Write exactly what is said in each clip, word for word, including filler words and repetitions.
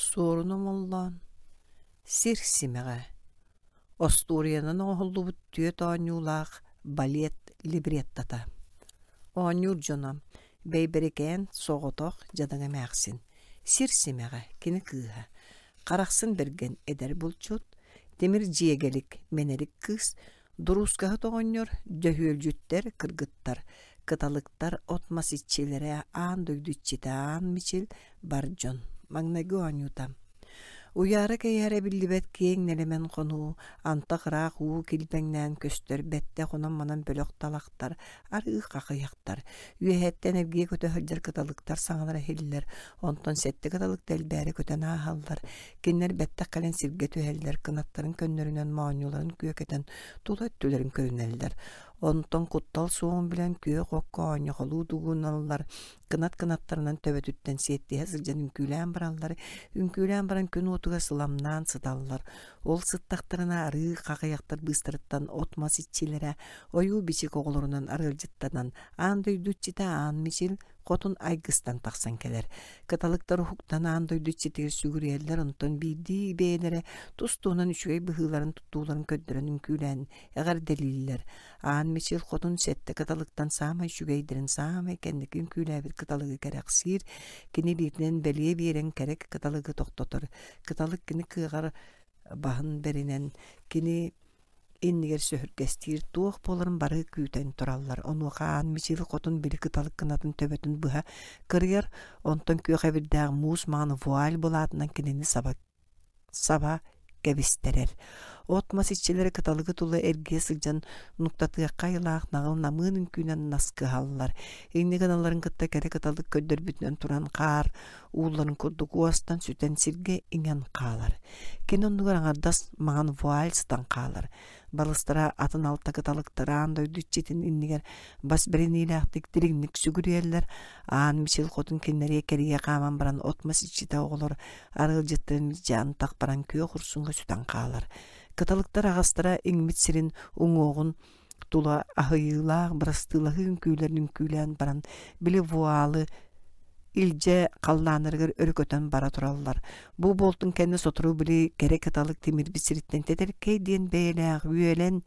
Суорун Омоллоон «Сир симэҕэ» остуоруйанан оҥоһуллубут түөрт оонньуулаах балет либреттота. Оонньуур дьоно: Бэйбэрикээн соҕотох дьадаҥы эмээхсин, Сир симэҕэ кини кыыһа, Харахсын Бэргэн эдэр булчут, Тимир Дьиэгэлик мэнэрик кыыс, Дуруускаһыт оҕонньор, Дьөһүөлдьүттэр кыргыттар, Кыталыктар от-мас иччилэрэ, аан дойду иччитэ Аан Мичил бар дьон. Маҥнайгы оонньуута Уйаара-кэйээрэ биллибэт киэҥ нэлэмэн хонуу, антах ыраах уу килбэҥнээн көстөр бэттэх онон-манан бөлөх талахтар, арыы хахыйахтар, үөһэттэн эргийэ көтө сылдьар кыталыктар саҥалара иһиллэр, онтон сэттэ кыталык тэлбээри көтөн ааһаллар, кинилэр бэттэх кэлэн сиргэ түһэллэр, кынаттарын көннөрүнэн моонньуларын күөкэтэн тула өттүлэрин көрүнэллэр. Онтон куттал суоҕун билэн күөх окко оонньохолуу дугуналлар, кынат кынаттарынан төбөтүттэн сиэттиһэ сылдьан үҥкүүлээн бараллар, үҥкүүлээн баран күн уотугар сыламнаан сыталлар. Ол сыттахтарына арыы хахыйахтар быыстарыттан от-мас иччилэрэ ойуу-бичик оҕолорунан арыалдьыттанан аан дойду иччитэ Аан Мичил хотун айгыстан тахсан кэлэр. Кыталыктар уһуктан аан дойду иччитигэр сүгүрүйэллэр, онтон биирдии бэйэлэрэ тус-туһунан үчүгэй быһыыларын туттууларын көрдөрөн үҥкүүлээн эҕэрдэлииллэр. Аан Мичил хотун сэттэ кыталыктан саамай үчүгэйдэрин саамай кэнники үҥкүүлээбит кыталыгы кэрэхсиир, кини илиитинэн бэлиэ биэрэн кэрэ кыталыгы тохтотор. Кыталык кини кыаҕар баһын бэринэн кини иннигэр сөһүргэстиир туох буоларын бары күүтэн тураллар. Онуоха Аан Мичил хотун били кыталык кынатын төбөтүн быһа кырыйар, онтон күөх эбирдээх муус маҥан вуаль былаатынан кинини саба саба кэбистэрэр. От-мас иччилэрэ кыталыгы тула эргийэ сылдьан нуктатыахха айылаах наҕыл намыын үҥкүүнэн наскыһаллар. Инньэ гыналларын кытта кэрэ кыталык көрдөрбүтүнэн туран хаар уулларын курдук уостан сүтэн сиргэ иҥэн хаалар. Кини оннугар аҥардас маҥан вуаль сытан хаалар. Балыстара атын алта кыталыктар аан дойду иччитин иннигэр бас бэриниилээхтик дириҥник сүгүрүйэллэр. Аан Мичил хотун кинилэри кэрийэ хааман баран от-мас иччитэ оҕолор арыалдьыттарын илдьэ антах баран күөх урсуҥҥа сүтэн хаалар. Кыталыктар аҕастара иҥмит сирин уҥуоҕун тула аһыйыылаах бырастыылаһыы үҥкүүлэрин үҥкүүлээн баран били вуалы илдьэ халлааннарыгар өрө көтөн бара тураллар. Бу буолтун кэннэ сотору били кэрэ кыталык тимирбит сириттэн тэтэркэй диэн бэйэлээх үөлэн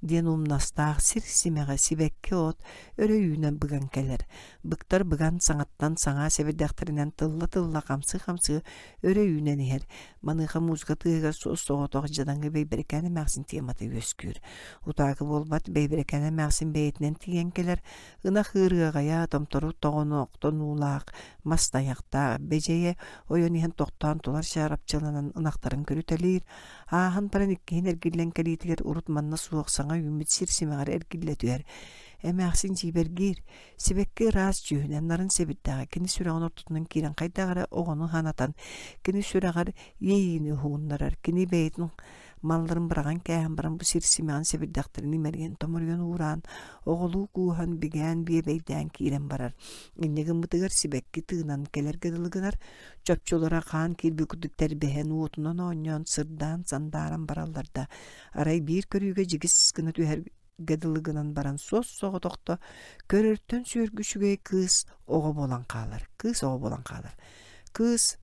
диэн умнастаах сир симэҕэ сибэкки от өрө үүнэн быган кэлэр. Быктар быган саҥаттан саҥа сэбирдэхтэринэн тылла-тылла хамсыы-хамсыы өрө үүнэн иһэр. Маныаха музыка тыаһыгар суос-соҕотох дьадаҥы Бэйбэрикээн эмээхсин темата үөскүүр. Утаакы буолбат Бэйбэрикээн эмээхсин бэйэтинэн тиийэн кэлэр, ынах ыарыаҕайа, томтору тоҕоноохтонуулаах, мас тайахтаах, бэдьэйэ ойон иһэн тохтоон тулар чаарапчыланан ынахтарын көрүтэлиир, ааһан баран иккиһин эргиллэн кэлиитигэр урут манна суох саҥа үүммүт сир симэҕэр эргиллэ түһэр. Эмээхсин дьиибэргиир, сибэкки ыраас дьүһүнэ нарын сэбирдэҕэ кини сүрэҕин ортотунан киирэн хайдах эрэ оҕону санатан, кини сүрэҕэр иэйиини уһугуннарар, кини бэйэтин малларын быраҕан кээһэн баран бу сир симэҕин сэбирдэхтэрин имэрийэн томоруйан уураан, оҕолуу кууһан, бигээн, биэбэйдээн киирэн барар. Инньэ гыммытыгар сибэкки тыынан кэлэргэ дылы гынар, чопчулара хаан киирбит курдук тэрбэһэн, уотунан оонньоон, сырдаан, сандааран бараллар да, арай биир көрүүгэ дьигис гына түһэргэ дылы гынан баран суос-соҕотохто көрөртөн сүөргү үчүгэй кыыс оҕо буолан хаалар, кыыс оҕо буолан хаалар. Кыыс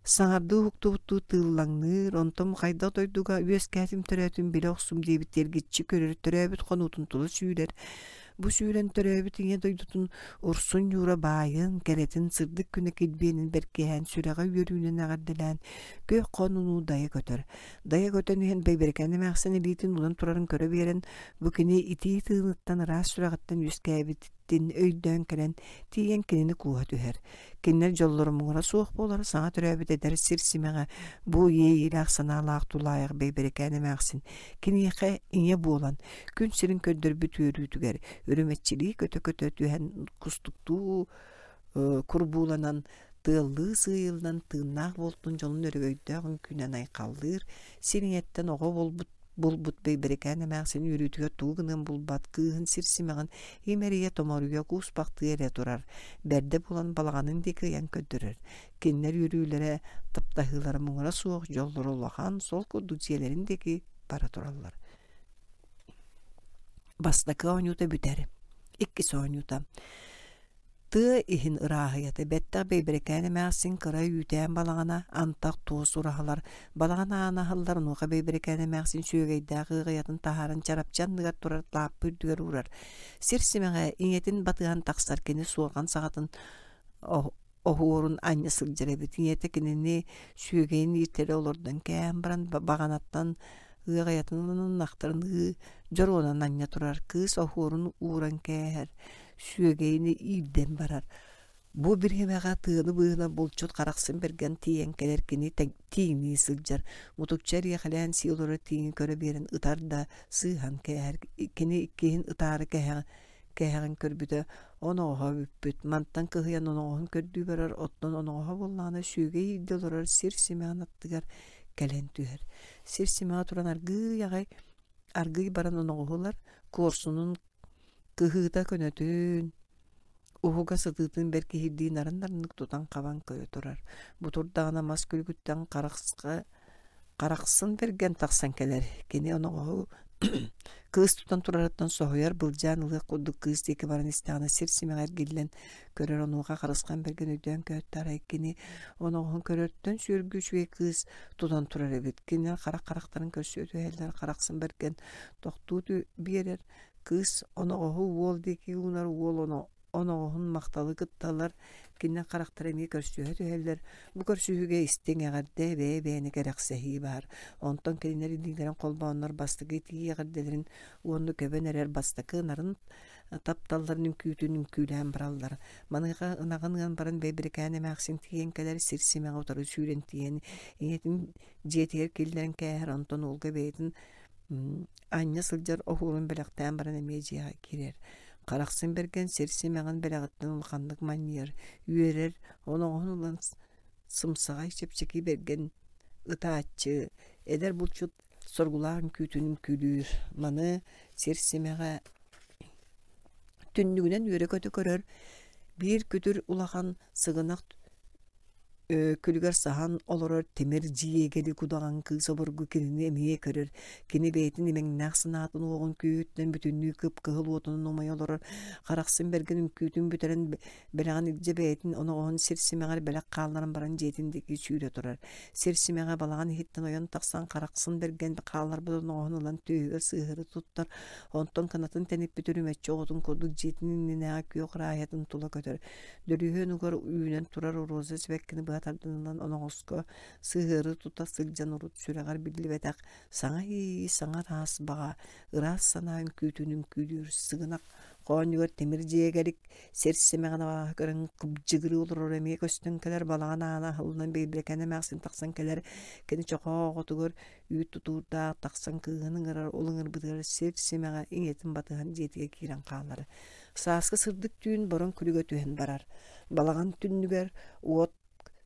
Саҥардыы уһуктубуттуу тыыллаҥныыр, онтон хайдах дойдуга үөскээтим төрөөтүм билэ охсум диэбит эргиччи көрөр төрөөбүт хонуутун тула сүүрэр. Бу сүүрэн төрөөбүт ийэ дойдутун урсун ньуура баайын, кэрэтин, сырдык күнэ килбиэнин бэркиһээн, сүрэҕэ үөрүүнэн эҕэрдэлээн, күөх хонууну дайа көтөр. Дайа көтөн иһэн Бэйбэрикээн эмээхсин илиитин уунан турарын көрө биэрэн, бу кини итии тыыныттан ыраас сүрэҕиттэн үөскээбит өйдөөн кэлэн, тиийэн кинини кууһа түһэр. Кинилэр дьоллоро муҥура суох буолар, саҥа төрөөбүт эдэр сир симэҕэ бу иэйиилээх санаалаах тулаайах Бэйбэрикээн эмээхсин киниэхэ ийэ буолан, күн сирин көрдөрбүт үөрүүтүгэр үрүмэччилии көтө-көтө түһэн кустуктуу курбууланан, тыаллыы сыыйыллан тыыннаах буолтун дьолун өрөгөйдөөх үҥкүүнэн айхаллыыр, сир ийэттэн оҕо буолбут булбут Бэйбэрикээн эмээхсин үөрүүтүгэр тугу гыныан булбат кыыһын сир симэҕин имэрийэ-томоруйа кууспахтыы эрэ турар, бэрдэ булан балаҕанын диэки ыйан көрдөрөр. Кинилэр үөрүүлэрэ, таптаһыылара муҥура суох, дьоллоро улахан, сол курдук дьиэлэрин диэки бара тураллар. Бастакы оонньуута бүтэр. Иккис оонньуута. Тыа иһин ырааһыйата бэттэх Бэйбэрикээн эмээхсин кыра үүтээн балаҕана антах туос ураһалар балаҕан аана аһыллар онуоха Бэйбэрикээн эмээхсин сүөгэйдээх ыаҕайатын таһааран чарапчы анныгар турар лааппы үрдүгэр уурар. Сир симэҕэ ийэтин батыһан тахсар кини суорҕан саҕатын оһуорун анньа сылдьар эбит. Ийэтэ кинини сүөгэйин ииртэрэ олордон кээн баран баҕанаттан ыаҕайатын ылан ынахтарын ыы дьоруонан анньа турар. Кыыс оһуорун ууран кээһэр, сүөгэйин иирдэн барар. Бу бириэмэҕэ тыаны быыһынан булчут Харахсын Бэргэн тиийэн кэлэр кини тииҥнии сылдьар. Мутукча эриэхэлээн сии олорор тииҥи көрө биэрэн ытар да сыыһан кээһэр. Кини иккиһин ытаары кэһэҕин кэһэҕин көрбүтэ оноҕоһо бүппүт. Мантан кыһыйан оноҕоһун көрдүү барар, оттон оноҕоһо буоллаҕына сүөгэй иирдэ олорор сир симэҕин аттыгар кэлэн түһэр. Сир симэҕэ туран аргыый аҕай аргыый баран оноҕоһу ылар, куорсунун кыһыыта көнөтүн, уһуга сытыытын бэркиһирдии нарын-нарыннык тутан-хабан көрө турар. Бу турдаҕына мас күлүгүттэн харахса Харахсын Бэргэн тахсан кэлэр. Кини оноҕоһу кыыс тутан турарыттан соһуйар, былдьаан ылыах курдук кыыс диэки баран истэҕинэ сир симэҕэ эргиллэн көрөр онуоха Харысхан Бэргэн өйдөөн көһүттэ арай кини оноҕоһун көрөртөн сүөргү үчүгэй кыыс тутан турар эбит. Кинилэр харах харахтарын көрсүө түһэллэр, Харахсын Бэргэн тохтуу биэрэр. Кыыс оноҕоһу уол диэки уунар, уол оноҕоһун махталы кытталлар, кинилэр харахтара эмиэ көрсүһэ түһэллэр. Бу көрсүһүүгэ истиҥ эҕэрдэ, бэйэ-бэйэни кэрэхсэһии баар. Онтон кинилэр илиилэрин холбооннор бастакы итии эҕэрдэлэрин уонна көбөн эрэр бастакы нарын тапталларын үҥкүүтүн үҥкүүлээн бараллар. Маныаха ынаҕын ыан баран Бэйбэрикээн эмээхсин тиийэн кэлэр, сир симэҕэ утары сүүрэн тиийэн ийэтин дьиэтигэр киллэрэн кээһэр, онтон уолга бэйэтин анньа сылдьар оһуорун бэлэхтээн баран эмиэ дьиэҕэ киирэр. Харахсын Бэргэн сир симэҕин бэлэҕиттэн улаханнык манньыйар, үөрэр, оноҕоһун ылан сымсаҕай чэпчэки бэргэн ытааччы, эдэр булчут соргулаах үҥкүүтүн үҥкүүлүүр. Маны сир симэҕэ түннүгүнэн үөрэ-көтө көрөр, биир күтүр улахан сыгынах күлүгэр саһан олорор тимир дьиэгэли кудаҕан кыыс обургу кинини эмиэ көрөр. Кини бэйэтин имэҥнээх санаатын уоҕун күүһүттэн бүтүннүү кып-кыһыл уотунан умайа олорор. Харахсын Бэргэн үҥкүүтүн бүтэрэн бэлэҕин илдьэ бэйэтин оноҕоһун сир симэҕэр бэлэх хаалларан баран дьиэтин диэки сүүрэ турар. Сир симэҕэ балаҕан иһиттэн ойон тахсан Харахсын Бэргэн хаалларбыт оноҕоһун ылан түөһүгэр сыыһары туттар. Онтон кынатын тэниппит үрүмэччи оҕотун курдук дьиэтин иннинээҕи күөх ырааһыйатын тула көтөр. Дөлүһүөн угар үүнэн турар роза сибэккини быһа тардынынан оноҕоско сыһыары тута сылдьан урут сүрэҕэр биллибэтэх саҥа иэйии, саҥа ыраас баҕа, ыраас санаа үҥкүүтүн үҥкүүлүүр сыгынах хоонньугар тимир дьиэгэрик сир симэҕин абааһы көрөн кыбдьыгырыы олорор эмиэ көстөн кэлэр балаҕан аана аһыллан Бэйбэрикээн эмээхсин тахсан кэлэр кини чохоо оҕотугар үүт тутуурдаах тахсан кыыһын ыҥырар ол ыҥырбытыгар сир симэҕэ ийэтин батыһан дьиэтигэр киирэн хаалар Сааскы сырдык түүн бороҥ күлүгэ түһэн барар. Балаҕан түннүгэр уот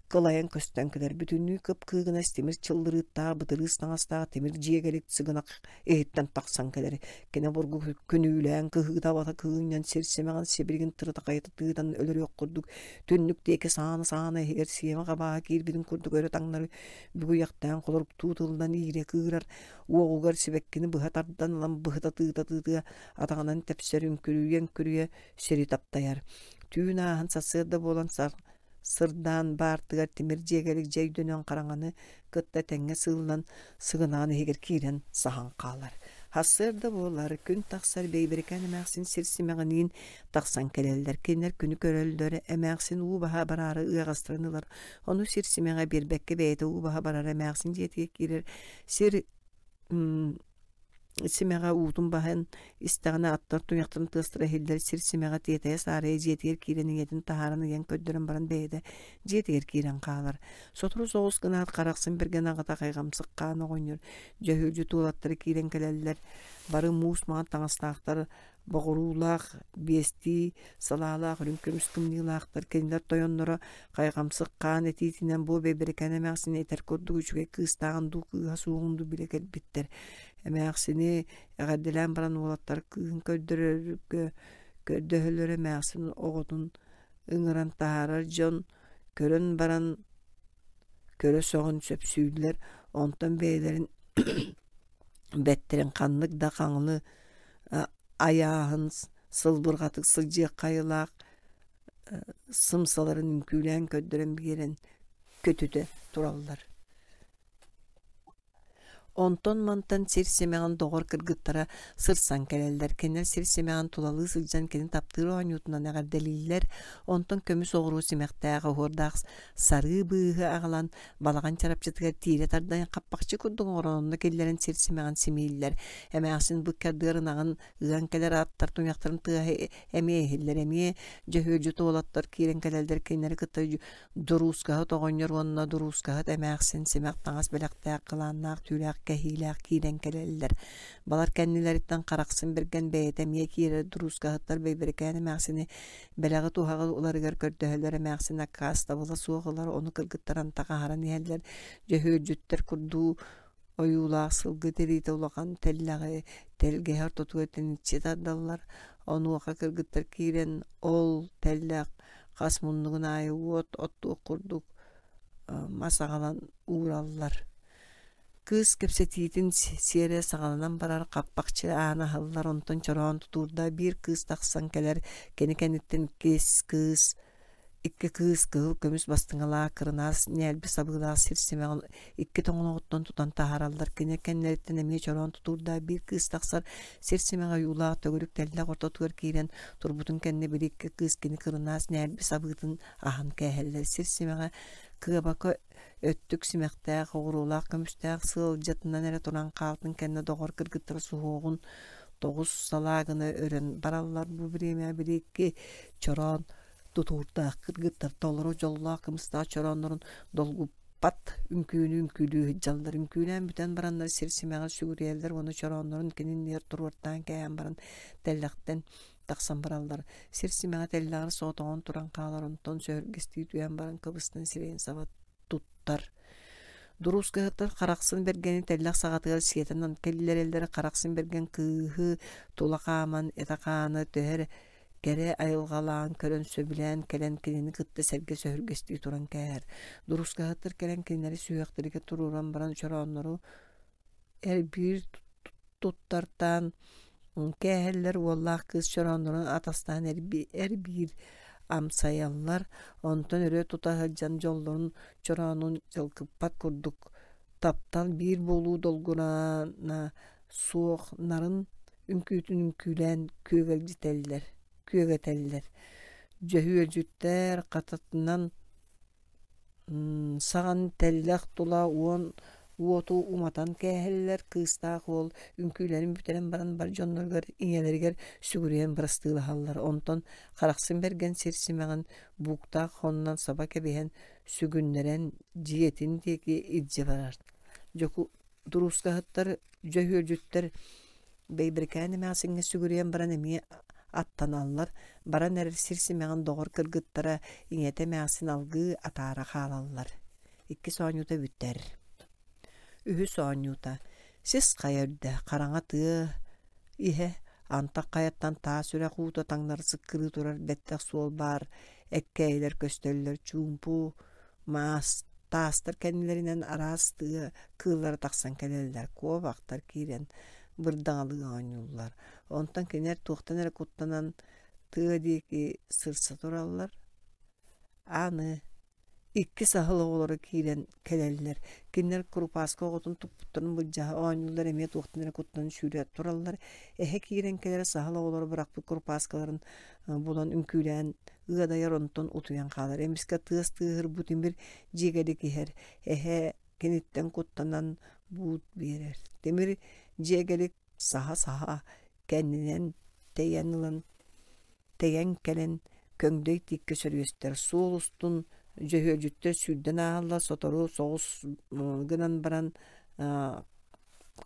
кылайан көстөн кэлэр. Бүтүннүү кып-кыыгынас тимир чыллырыыттаах, бытырыыс таҥастаах тимир дьиэгэлик сыгынах иһиттэн тахсан кэлэр. Кини обургу күнүүлээн, кыһыыта-абата кыынньан сир симэҕин сибилигин тырытахайыта тыытан өлөрүөх курдук түннүк диэки саана-саана иһигэр сиэмэх абааһы киирбитин курдук өрө таҥнары бүгүйэхтээн холоруктуу тылынан иирэ кыырар, уоҕугар сибэккини быһа тардан ылан быһыта тыыта-тыытыа атаҕынан тэпсэр үҥкүрүйэ-үҥкүрүйэ сири таптайар. Түүн ааһан сарсыарда буолан сырдаан баартыгар тимир дьиэгэлик дьэ өйдөнөн хараҥаны кытта тэҥҥэ сыыллан сыгынаан иһигэр киирэн саһан хаалар. Сарсыарда буолар, күн тахсар Бэйбэрикээн эмээхсин сир симэҕиниин тахсан кэлэллэр. Кинилэр күнү көрөллөр, эмээхсин уу баһа бараары ыаҕастарын ылар. Ону сир симэҕэ биэрбэккэ бэйэтэ уу баһа барар эмээхсин дьиэтигэр киирэр. Сир симэҕэ уутун баһан истэҕинэ аттар туйахтарын тыастара иһиллэр сир симэҕэ тиэтэйэ саарайа дьиэтигэр киирэн ийэтин таһааран ыйан көрдөрөн баран бэйэтэ дьиэтигэр киирэн хаалар. Сотору соҕус гынаат Харахсын Бэргэн аҕата хайҕамсык хаан оҕонньор дьөһүөлдьүт уолаттара киирэн кэлэллэр. Бары муус маҥан таҥастаахтар боҕуруулаах, биэстии салаалаах үрүҥ көмүс кымньыылаахтар кинилэр тойонноро хайҕамсык хаан этиитинэн бу Бэйбэрикээн эмээхсини этэр курдук үчүгэй кыыстааҕын дуу кыыһа суоҕун дуу билэ кэлбиттэр. Эмээхсини эҕэрдэлээн баран уолаттар кыыһын көрдөрөргө көрдөһөллөр эмээхсин оҕотун ыҥыран таһаарар дьон көрөн баран көрө сөҕөн сөпсүүллэр онтон бэйэлэрин бэттэрин ханнык да хаҥылы айааһын сылбырҕатык сылдьыахха айылаах сымсаларын үҥкүүлээн көрдөрөн биэрэн көтүтэ тураллар. Онтон-мантан сир симэҕин доҕор кыргыттара сырсан кэлэллэр. Кинилэр сир симэҕин тулалыы сылдьан кини таптыыр оонньуутунан эҕэрдэлииллэр. Онтон көмүс оҕуруо симэхтээх, оһуордаах сарыы быыһы аҕалан балаҕан чарапчытыгар тиирэ тардан хаппахчы курдук оҥорон онно киллэрэн сир симэҕин симииллэр. Эмээхсин бу ыккардыгар ынаҕын ыан кэлэр аттар туйахтарын тыаһа эмиэ иһиллэр. Эмиэ дьөһүөлдьүт уолаттар киирэн кэлэллэр. Кинилэри кытта дуруускаһыт оҕонньор уонна дуруускаһыт эмээхсин симэх таҥас бэлэхтээх, кылааннаах түүлээх кэһиилээх киирэн кэлэллэр. Балар кэннилэриттэн Харахсын Бэргэн бэйэтэ эмиэ киирэр. Дуруускаһыттар Бэйбэрикээн эмээхсини бэлэҕи туһаҕы ыларыгар көрдөһөллөр. Эмээхсин аккаастабыла суох ылар, ону кыргыттар антах аһаран иһэллэр. Дьөһүөлдьүттэр курдуу ойуулаах сылгы тириитэ улахан тэллэҕи тэлгэһэ ортотугар тэниччи тардаллар. Онуоха кыргыттар киирэн ол тэллэх хас муннугун аайы уот оттуох курдук мас аҕалан уураллар. Кыыс кэпсэтиитин сиэрэ саҕаланан барар, хаппахчы аана аһыллар, онтон чороон тутуурдаах биир кыыс тахсан кэлэр, кини кэнниттэн иккис кыыс икки кыыс кыһыл көмүс бастыҥалаах кырынаас ньээлби сабыылаах сир симэҕин икки тоҥолоҕуттан тутан таһаараллар. Кини кэннилэриттэн эмиэ чороон тутуурдаах биир кыыс тахсар, сир симэҕэ ойуулаах төгүрүк тэллэх ортотугар киирэн турбутун кэннэ били икки кыыс кини кырынаас ньээлби сабыытын аһан кээһэллэр. Сир симэҕэ кыабака өттүк симэхтээх, оҕуруолаах көмүстээх сыалдьатынан эрэ туран хаалтын кэннэ доҕор кыргыттара суһуоҕун тоҕус салаа гына өрөн бараллар. Бу бириэмэҕэ били икки чороон тутуурдаах кыргыттар толору дьоллоох кымыстаах чорооннорун долгуппат үҥкүүнү үҥкүүлүү сылдьаллар. Үҥкүүлээн бүтэн бараннар сир симэҕэр сүгүрүйэллэр уонна чорооннорун кини иннигэр туруортаан кээһэн баран тэллэхтэн тахсан бараллар. Сир симэҕэ тэллэҕэр соҕотоҕун туран хаалар, онтон сөһүргэстии түһэн баран кыбыстан сирэйин саба туттар. Дуруускаһыттар Харахсын Бэргэни тэллэх саҕатыгар сиэтэн киллэрэллэр. Харахсын Бэргэн кыыһы тула хааман этэ-хаана төһө эрэ кэрэ айылҕалаан көрөн сөбүлээн кэлэн кинини кытта сэргэ сөһүргэстии туран кээһэр. Дуруускаһыттар кэлэн кинилэри сүһүөхтэригэр туруоран баран чорооннору эрбиир туттартаан кээһэллэр. Уоллаах кыыс чорооннорун атастаан эрбиир амсайаллар. Онтон өрө тута сылдьан дьоллорун чороонун дьалкыппат курдук таптал биир буолуу долгуна суох нарын үҥкүүтүн үҥкүүлээн күөгэлдьитэллэр күөгэтэллэр. Дьөһүөлдьүттэр хататынан саҕан тэллэх тула уон уоту уматан кээһэллэр. Кыыстаах уол үҥкүүлэрин бүтэрэн баран бар дьонноругар ийэлэригэр сүгүрүйэн бырастыылаһаллар. Онтон Харахсын Бэргэн сир симэҕин бууктаах хонунан саба кэбиһэн сүгүннэрэн дьиэтин диэки илдьэ барар. Дьоку дуруускаһыттар дьөһүөлдьүттэр Бэйбэрикээн эмээхсиҥҥэ сүгүрүйэн баран эмиэ аттаналлар. Баран эрэр сир симэҕин доҕор кыргыттара ийэтэ эмээхсин алгыы атаара хаалаллар. Иккис оонньуута бүтэр. Үһүс оонньуута сис хайа үрдэ, хараҥа тыа иһэ, антах хайаттан таас үрэх уута таҥнары сыккырыы турар бэттэх суол баар, эккээйилэр көстөллөр, чуумпу маас таастар кэннилэринэн араас тыа кыыллара тахсан кэлэллэр, куобахтар киирэн бырдаҥалыы оонньууллар. Онтон кинилэр туохтан эрэ куттанан тыа диэки сырса тураллар. Аны икки саһыл оҕолоро киирэн кэлэллэр. Кинилэр курупааска оҕотун туппуттарын былдьаһа оонньууллар, эмиэ туохтан эрэ куттанан сүүрэ тураллар. Эһэ киирэн кэлэр, саһыл оҕолоро бырахпыт курупааскаларын булан үҥкүүлээн ыадайар, онтон утуйан хаалар. Эмискэ тыас тыаһыр бу тимир дьиэгэлик иһэр. Эһэ киниттэн куттанан буут биэрэр. Тимир дьиэгэлик саһа-саһа кэннинэн тэйэн ылан тэйэн кэлэн көҥдөй тииккэ сөрүөстэр. Суол устун дьөһүөлдьүттэр сүүрдэн ааһаллар, сотору соҕус гынан баран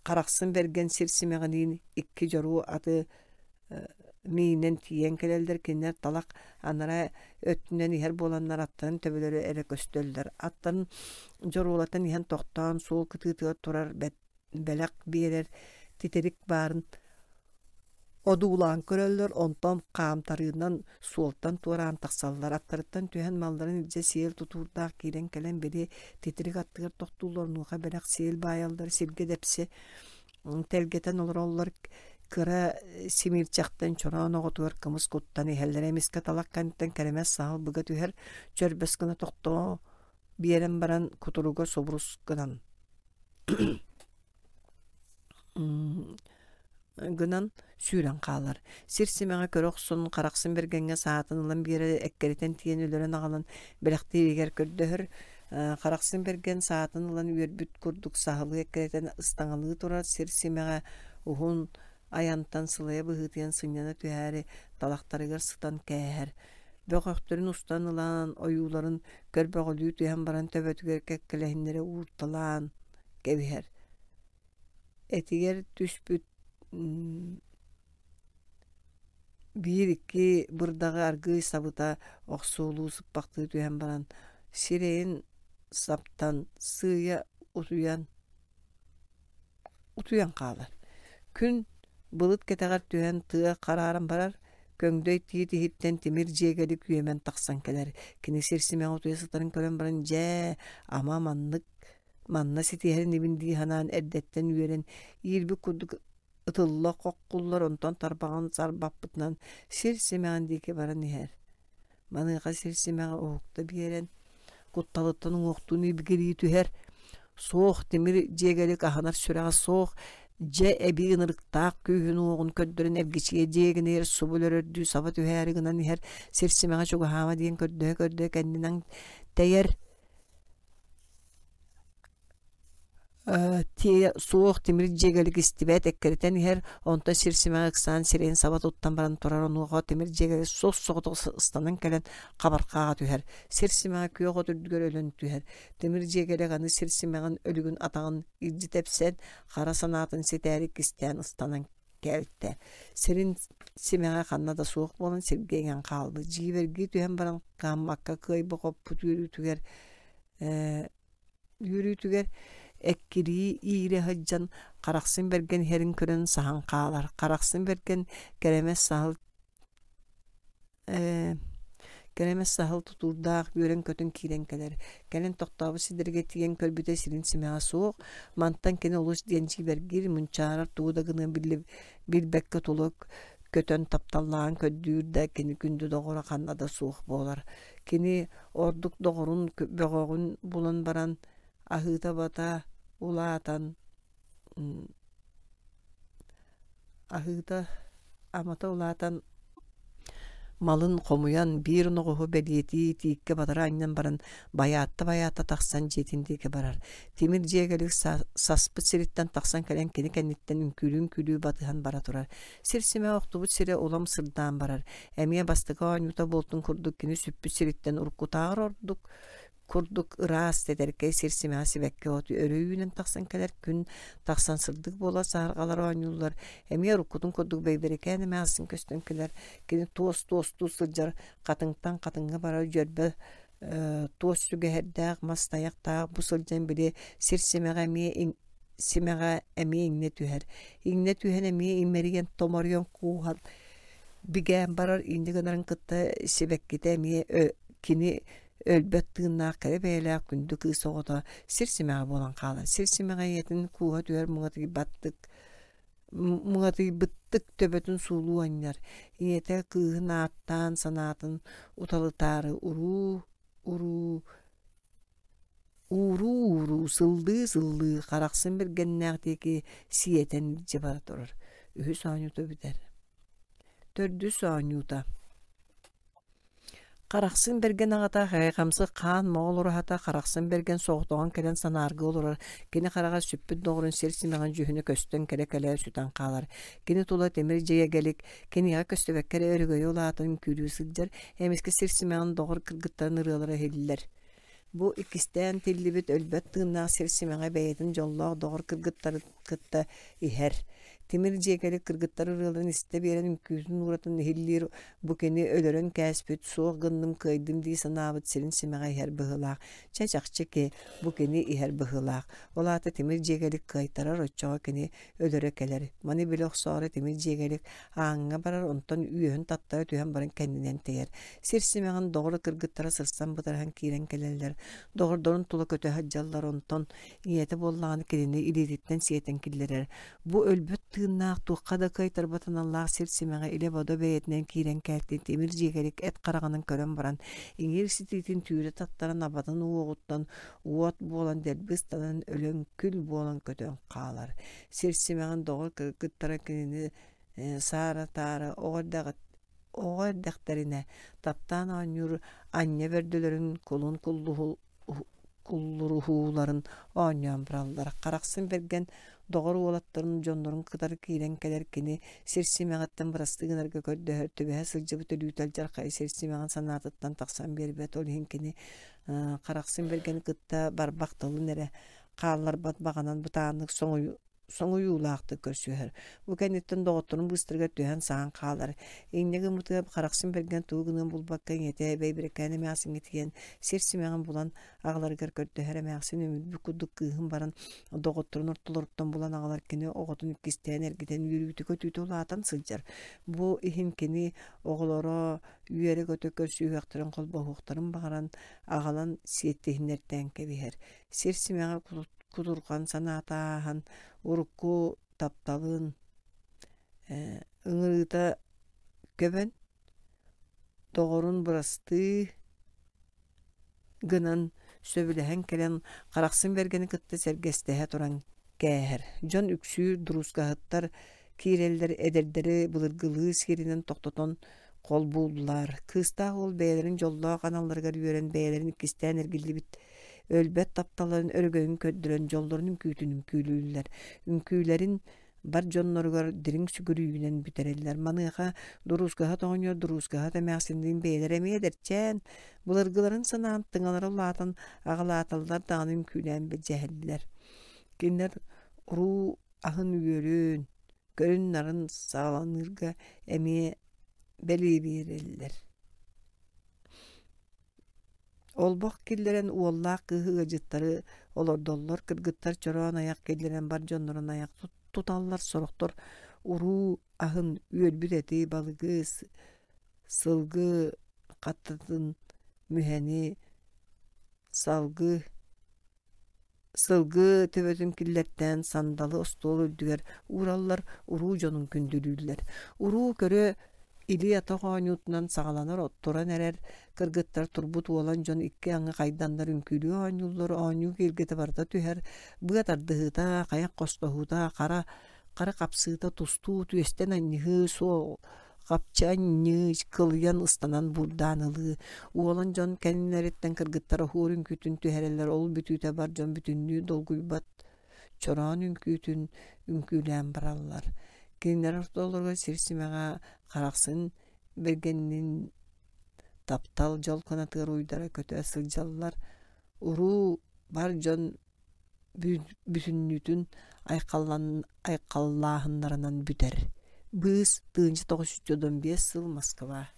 Харахсын Бэргэн сир симэҕиниин икки дьоруо аты миинэн тиийэн кэлэллэр. Кинилэр талах анараа өттүнэн иһэр буоланнар аттарын төбөлөрө эрэ көстөллөр. Аттарын дьоруолатан иһэн тохтоон суол кытыытыгар турар бэлэх биэрэр титирик баарын одуулаан көрөллөр, онтон хаамтарыынан суолтан туораан тахсаллар. Аттарыттан түһэн малларын илдьэ сиэл тутуурдаах киирэн кэлэн били титирик аттыгар тохтууллар, онуоха бэлэх сиэл баайаллар, сиргэ дэпси тэлгэтэн олороллор. Кыра симиирчэхтэн чороон оҕотугар кымыс куттан иһэллэр. Эмискэ талах кэнниттэн кэрэмэс саһыл быга түһэр, чөрбөс гына тохтоо биэрэн баран кутуруга субурус гынан гынан сүүрэн хаалар. Сир симэҕэ көрө охсон, Харахсын Бэргэҥҥэ саатын ылан биэрэр, эккирэтэн тиийэн өлөрөн аҕалан бэлэхтииригэр көрдөһөр. Харахсын Бэргэн саатын ылан үөрбүт курдук саһылыы эккирэтэн ыстаҥалыы турар. Сир симэҕэ уһун айантан сылайа быһыытыйан сынньана түһээри талахтарыгар сытан кээһэр. Бөҕөхтөрүн устан ылан, ойууларын көрбөҕөлүү түһэн баран төбөтүгэр кэккэлэһиннэрэ уурталаан кэбиһэр. Этигэр түспүт биир-икки бырдаҕы аргыый сабыта охсуолуу сыппахтыы түһэн баран сирэйин саптан сыыйа утуйан утуйан хаалар. Күн былыт кэтэҕэр түһэн тыа харааран барар, көҥдөй тиит иһиттэн тимир дьиэгэлик үөмэн тахсан кэлэр. Кини сир симэҕэ утуйа сытарын көрөн баран дьээ, ама маннык манна ситиһэр инибин дии санаан эрдэттэн үөрэн иирбит курдук ытылла хоххуллар, онтон тарбаҕын сарбаппытынан сир симэҕин диэки баран иһэр. Маныаха сир симэҕэ уһукта биэрэн, кутталыттан уҥуохтуун ибигирии түһэр. Суох тимир дьиэгэлик аһынар сүрэҕэ суох, дьэ эбии ынырыктаах күүһүн-уоҕун көрдөрөн эргичийэ дьиэгинигэр субу өлөрөрдүү саба түһээри гынан иһэр. Сир симэҕэ чугаһаама диэн көрдөһө-көрдөһө кэннинэн тэйэр. Тиэ суох тимир дьиэгэлик истибэт эккирэтэн иһэр, онтон сир симэҕэ ыксаан сирэйин саба туттан баран турар. Онуоха тимир дьиэгэлик сос-соҕотох ыстанан кэлэн хабархааҕа түһэр. Сир симэҕэ күөх от үрдүгэр өлөн түһэр. Тимир дьиэгэлик аны сир симэҕин өлүгүн атаҕын илдьи тэпсэн, хара санаатын ситээри кистээн ыстанан кэлтэ. Сирин симэҕэ ханна да суох буолан сиргэ иҥэн хаалбыт. Дьиибэргии түһэн баран кыаммакка кыайба-хоппут үөрүүтүгэр ээ үөрүүтүгэр эккирии иирэ сылдьан Харахсын Бэргэн иһэрин көрөн саһан хаалар. Харахсын Бэргэн кэрэмэс саһыл ээ кэрэмэс саһыл тутуурдаах үөрэн-көтөн киирэн кэлэр. Кэлин тохтообут сирдэргэ тиийэн көрбүтэ сирин симэҕэ суох. Мантан кини олус диэн дьиибэргиир, мунчаарар, тугу да гыныан билбэккэ тула көтөн тапталлааҕын көрдүүр да кини күндү доҕоро ханна да суох буолар. Кини ордук доҕорун бөҕөҕүн булан баран аһыыта-бата улаатан аһыыта амата улаатан малын хомуйан биир оноҕоһу бэлиэтии тииккэ батара анньан баран байаатта-байаатта тахсан дьиэтин диэки барар. Тимир дьиэгэлик саспыт сириттэн тахсан кэлэн кини кэнниттэн үҥкүүлүү-үҥкүүлүү батыһан бара турар. Сир симэ охтубут сирэ улам сырдаан барар. Эмиэ бастакы оонньуута буолтун курдук кини сүппүт сириттэн уруккутааҕар ордук курдук ыраас тэтэркэй сир симэҕэ сибэкки от өрө үүнэн тахсан кэлэр. Күн тахсан сырдык буолар, саһарҕалар оонньууллар. Эмиэ уруккутун курдук бэйбэрикээн эмээхсин көстөн кэлэр. Кини туос туостуу сылдьар, хатыҥтан хатыҥҥа барар дьөрбө туос сүгэһэрдээх, мас тайахтаах бу сылдьан били сир симэҕэ эмиэ симэҕэ эмиэ иҥнэ түһэр. Иҥнэ түһэн эмиэ имэрийэн томоруйан кууһан бигээн барар. Инньэ гынарын кытта сибэккитэ эмиэ кини өлбөт тыыннаах кэрэ бэйэлээх күндү кыыс оҕото сир симэҕэ буолан хаалар. Сир симэҕэ ийэтин кууһа түһэр муҥатыйбаттык муҥатыйбыттык төбөтүн суулуу анньар. Ийэтэ кыыһын ааттаан санаатын уталытаары уруу уруу ууруу-ууруу сыллыы-сыллыы Харахсын Бэргэннээх диэки сиэтэн илдьэ бара турар. Үһүс оонньуута бүтэр. Төрдүс оонньуута. Харахсын Бэргэн аҕата хайҕамсык хаан моҕол ураһата Харахсын Бэргэн соҕотоҕун кэлэн санааргыы олорор. Кини хараҕа сүппүт доҕорун сир симэҕин дьүһүнэ көстөн кэлэ-кэлэ сүтэн хаалар. Кини тула тимир дьиэгэлик, киниэхэ көстүбэккэ эрэ өрөгөйө улаатан үҥкүүлүү сылдьар. Эмискэ сир симэҕин доҕор кыргыттарын ырыалара иһиллэр. Бу иккистээн тиллибит өлбөт тыыннаах сир симэҕэ бэйэтин дьоллоох доҕор кыргыттарын кытта иһэр. Тимир дьиэкэлик кыргыттар ырыаларын истэ биэрэн үҥкүүтүн ууратын иһиллиир. Бу кини өлөрөн кээспит, суох гынным, кыайдым дии санаабыт сирин симэҕэ иһэр быһыылаах. Чэ, чахчы ки, бу кини иһэр быһыылаах. Ол аата тимир дьиэгэлик кыайтарар, оччоҕо кини өлөрө кэлэр. Маны билэ охсоору тимир дьиэгэлик ааҥҥа барар, онтон үөһүн таттара түһэн баран кэннинэн тэйэр. Сир симэҕин доҕор кыргыттара сырсан бытарыһан киирэн кэлэллэр. Доҕордорун тула көтө сылдьаллар, онтон ийэтэ буоллаҕына кинини илиититтэн сиэтэн киллэрэр. Бу өлбөт тыыннаах, туохха да кыайтарбат аналлаах сир симэҕэ илэ-бодо бэйэтинэн киирэн кэлтин тимир дьиэгэрик эт хараҕынан көрөн баран, иҥиир ситиитин түүрэ таттаран абатын уоҕуттан уот буолан дэлби ыстанан өлөн күл буолан көтөн хаалар. Сир симэҕин доҕор кыргыттара кинини саара-таара оҕо оҕо эрдэхтэринэ таптаан оонньуур анньа бөрдөлөрүн кулун куллуруһууларын оонньоон бараллар. Харахсын бэргэн доҕор уолаттарын дьоннорун кытары киирэн кэлэр кини сир симэҕиттэн бырастыы гынарга көрдөһөр, түбэһэ сылдьыбыт өлүүтэ алдьархай сир симэҕин санаатыттан тахсан биэрбэт. Ол иһин кини Харахсын Бэргэни кытта барбах тылын эрэ хаалларбат баҕанан бытааннык соҥуйу соҥуйуулаахтык көрсүһэр. Бу кэнниттэн доҕотторун быыстарыгар түһэн саһан хаалар. Инньэ гыммытыгар Харахсын Бэргэн тугу гыныан булбакка ийэтэ Бэйбирэкээн эмээхсиҥҥэ тиийэн сир симэҕин булан аҕаларыгар көрдөһөр эмээхсин өмүрбүт курдук кыыһын баран доҕотторун ортолоруттан булан аҕалар кини оҕотун иккистээн эргитэн үөрүүтэ-көтүүтэ улаатан сылдьар. Бу иһин кини оҕолоро үөрэ-көтө көрсүһүөхтэрин холбоһуохтарын баҕаран аҕалан сиэттиһиннэртээн кэбиһэр. Сир симэҕэ кутурҕан санаата ааһан урукку тапталын ыҥырыыта көбөн доҕорун бырастыы гынан сөбүлэһэн кэлэн Харахсын Бэргэни кытта сэргэстэһэ туран кээһэр. Дьон үксүүр дуруускаһыттар киирэллэр эдэрдэри былыргылыы сиэринэн тохтотон холбууллар. Кыыстаах уол бэйэлэрин дьоллоох аналларыгар үөрэн бэйэлэрин иккистээн эргиллибит өлбөт тапталларын өрөгөйүн көрдөрөн дьоллорун үҥкүүтүн үҥкүүлүүллэр. Үҥкүүлэрин бар дьонноругар дириҥ сүгүрүйүүнэн бүтэрэллэр. Маныаха дуруускаһыт оҕонньор дуруускаһыт эмээхсинниин бэйэлэрэ эмиэ эдэрчээн, былыргыларын санаан тыҥалара улаатан аҕалааталлар даҕаны үҥкүүлээн билдьэһэллэр. Кинилэр уруу аһын үөрүн, көрүн-нарын саҕаланыырга эмиэ бэлиэ биэрэллэр. Олбох киллэрэн уоллаах кыыһы ыалдьыттары олордоллор, кыргыттар чороон айах киллэрэн бар дьоннорун айах туталлар, сорохтор уруу аһын үөрбүт эти, балыгы, сылгы хаттатын, мүһэни, салгы Сылгы төбөтүн киллэртээн сандалы остуол үрдүгэр уураллар, уруу дьонун күндүлүүллэр. Уруу көрө илии-атах оонньуутунан саҕаланар туран эрэр кыргыттар турбут уолан дьон икки аҥы хайданнар үҥкүүлүү оонньууллар, оонньуу киэргэтэ барыта түһэр, быа тардыһыыта, хайах хостоһуута, хара хара хапсыыта, тустуу, түөстэн анньыһыы, суол хапчы анньыы, кылыйан ыстанан буурдаан ылыы. Уолан дьон кэннилэриттэн кыргыттар оһуор үҥкүүтүн түһэрэллэр, ол бүтүүтэ бар дьон бүтүннүү долгуйбат чороон үҥкүүтүн үҥкүүлээн бараллар. Кинилэр ортолоругар сир симэҕэ Харахсын Бэргэннин таптал дьол кынатыгар уйдара көтө сылдьаллар. Уруу бар дьон бүтүннүүтүн айхаллааһыннарынан бүтэр. Быыс тыһыынча тоҕус жүз отут биэс сыл Москва.